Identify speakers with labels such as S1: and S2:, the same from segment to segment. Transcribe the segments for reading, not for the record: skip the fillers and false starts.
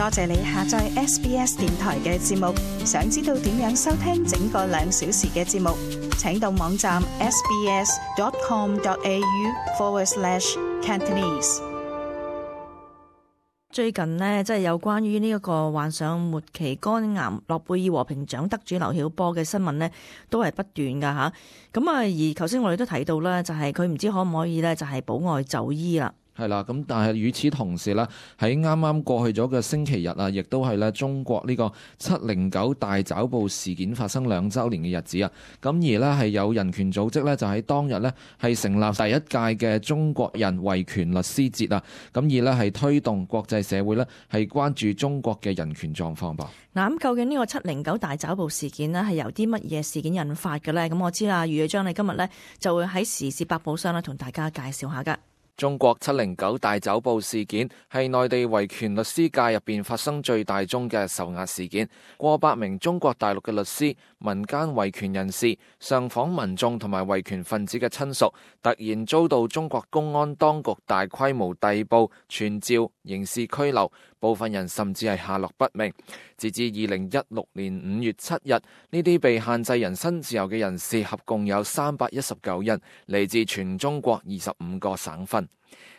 S1: 多謝你下載 SBS 電台嘅節目。想知道點樣收聽整個2小時嘅節目，請到網站 sbs.com.au/Cantonese。
S2: 最近呢，即係有關於呢一個患上末期肝癌諾貝爾和平獎得主劉曉波嘅新聞呢，都係不斷噶吓。咁而頭先我哋都提到啦，就係佢唔知可唔可以呢，就係保外就醫啦。
S3: 係啦，咁但係與此同時呢，喺啱啱過去咗嘅星期日啊，亦都係咧中國呢個709大抓捕事件發生2週年嘅日子啊。咁而呢，係有人權組織呢，就喺當日呢，係成立第1屆嘅中國人維權律師節啊。咁而呢，係推動國際社會呢，係關注中國嘅人權狀況噃。
S2: 嗱，咁究竟呢個709大抓捕事件呢，係由啲乜嘢事件引發嘅呢？咁我知啦，余偉章你今日呢，就會喺時事百寶箱呢，同大家介紹下噶。
S3: 中國709大抓捕事件係內地維權律師界入邊發生最大宗嘅受壓事件，過百名中國大陸嘅律師、民間維權人士、上訪民眾同埋維權分子嘅親屬，突然遭到中國公安當局大規模逮捕、傳召、刑事拘留，部分人甚至係下落不明。截至2016年5月7日，呢啲被限制人身自由嘅人士合共有319人，嚟自全中國25個省份。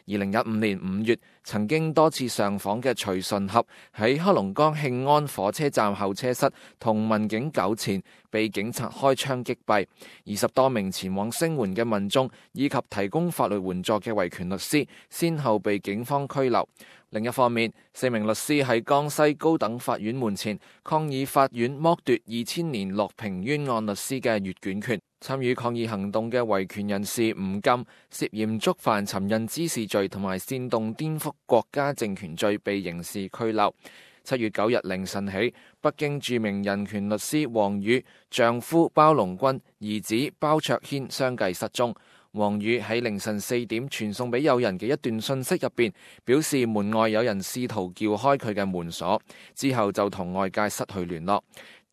S3: 2015年5月，曾經多次上訪嘅徐順合喺黑龍江慶安火車站候車室同民警糾纏，被警察開槍擊斃。20多名前往聲援嘅民眾以及提供法律援助嘅維權律師，先後被警方拘留。另一方面，4名律師喺江西高等法院門前抗議法院剝奪2000年樂平冤案律師嘅閱卷權。參與抗議行動嘅維權人士吳禁涉嫌觸犯尋釁滋事罪同埋煽動顛覆國家政權罪，被刑事拘留。7月9日凌晨起，北京著名人權律師王宇、丈夫包龍軍、兒子包卓軒相繼失蹤。王宇喺凌晨4點傳送俾友人嘅一段信息入邊，表示門外有人試圖撬開佢嘅門鎖，之後就同外界失去聯絡。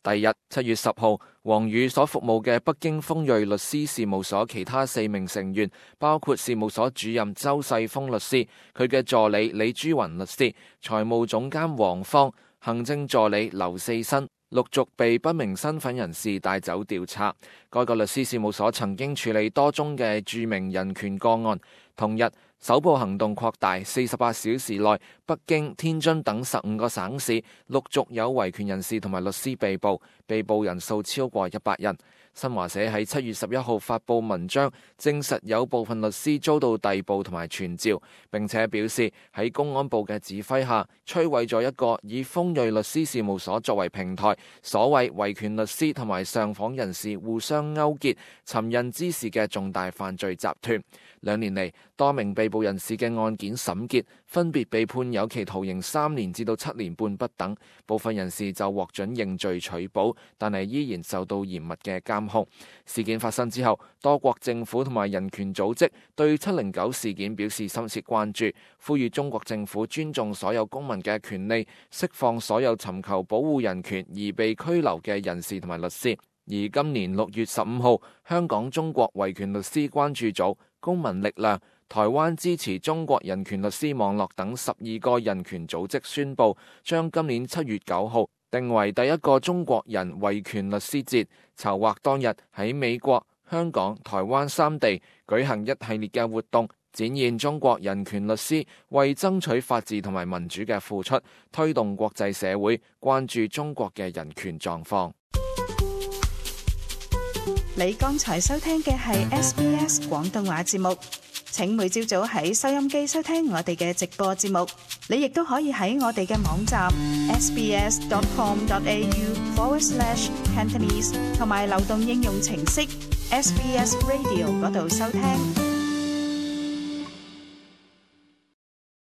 S3: 第日7月10號，王宇所服務嘅北京鋒銳律師事務所其他4名成員，包括事務所主任周世峰律師、佢嘅助理李珠雲律師、財務總監黃芳、行政助理劉四新，陸續被不明身份人士帶走調查。該個律師事務所曾經處理多宗嘅著名人權個案。同日，搜捕行動擴大，48小時內，北京、天津等15個省市陸續有維權人士同埋律師被捕，被捕人數超過100人。新華社喺7月11號發布文章，證實有部分律師遭到逮捕同埋傳召，並且表示喺公安部嘅指揮下，摧毀咗一個以鋒銳律師事務所作為平台，所謂維權律師同埋上訪人士互相勾結、尋釁滋事嘅重大犯罪集團。2年嚟，多名被捕人士嘅案件審結，分別被判有期徒刑3年至到7年半不等，部分人士就獲准認罪取保，但係依然受到嚴密嘅監控。事件發生之後，多國政府同埋人權組織對709事件表示深切關注，呼籲中國政府尊重所有公民嘅權利，釋放所有尋求保護人權而被拘留嘅人士同埋律師。而今年6月15號，香港中國維權律師關注組、公民力量、台灣支持中國人權律師網絡等12個人權組織宣布，將今年7月9號定為第1個中國人維權律師節，籌劃當日喺美國、香港、台灣3地舉行一系列嘅活動，展現中國人權律師為爭取法治同埋民主嘅付出，推動國際社會關注中國嘅人權狀況。
S1: 你剛才收聽嘅係 SBS 廣東話節目，請每朝早喺收音機收聽我哋嘅直播節目。你亦都可以喺我哋嘅網站 sbs.com.au/Cantonese 同埋流動應用程式 SBS Radio 嗰度收聽。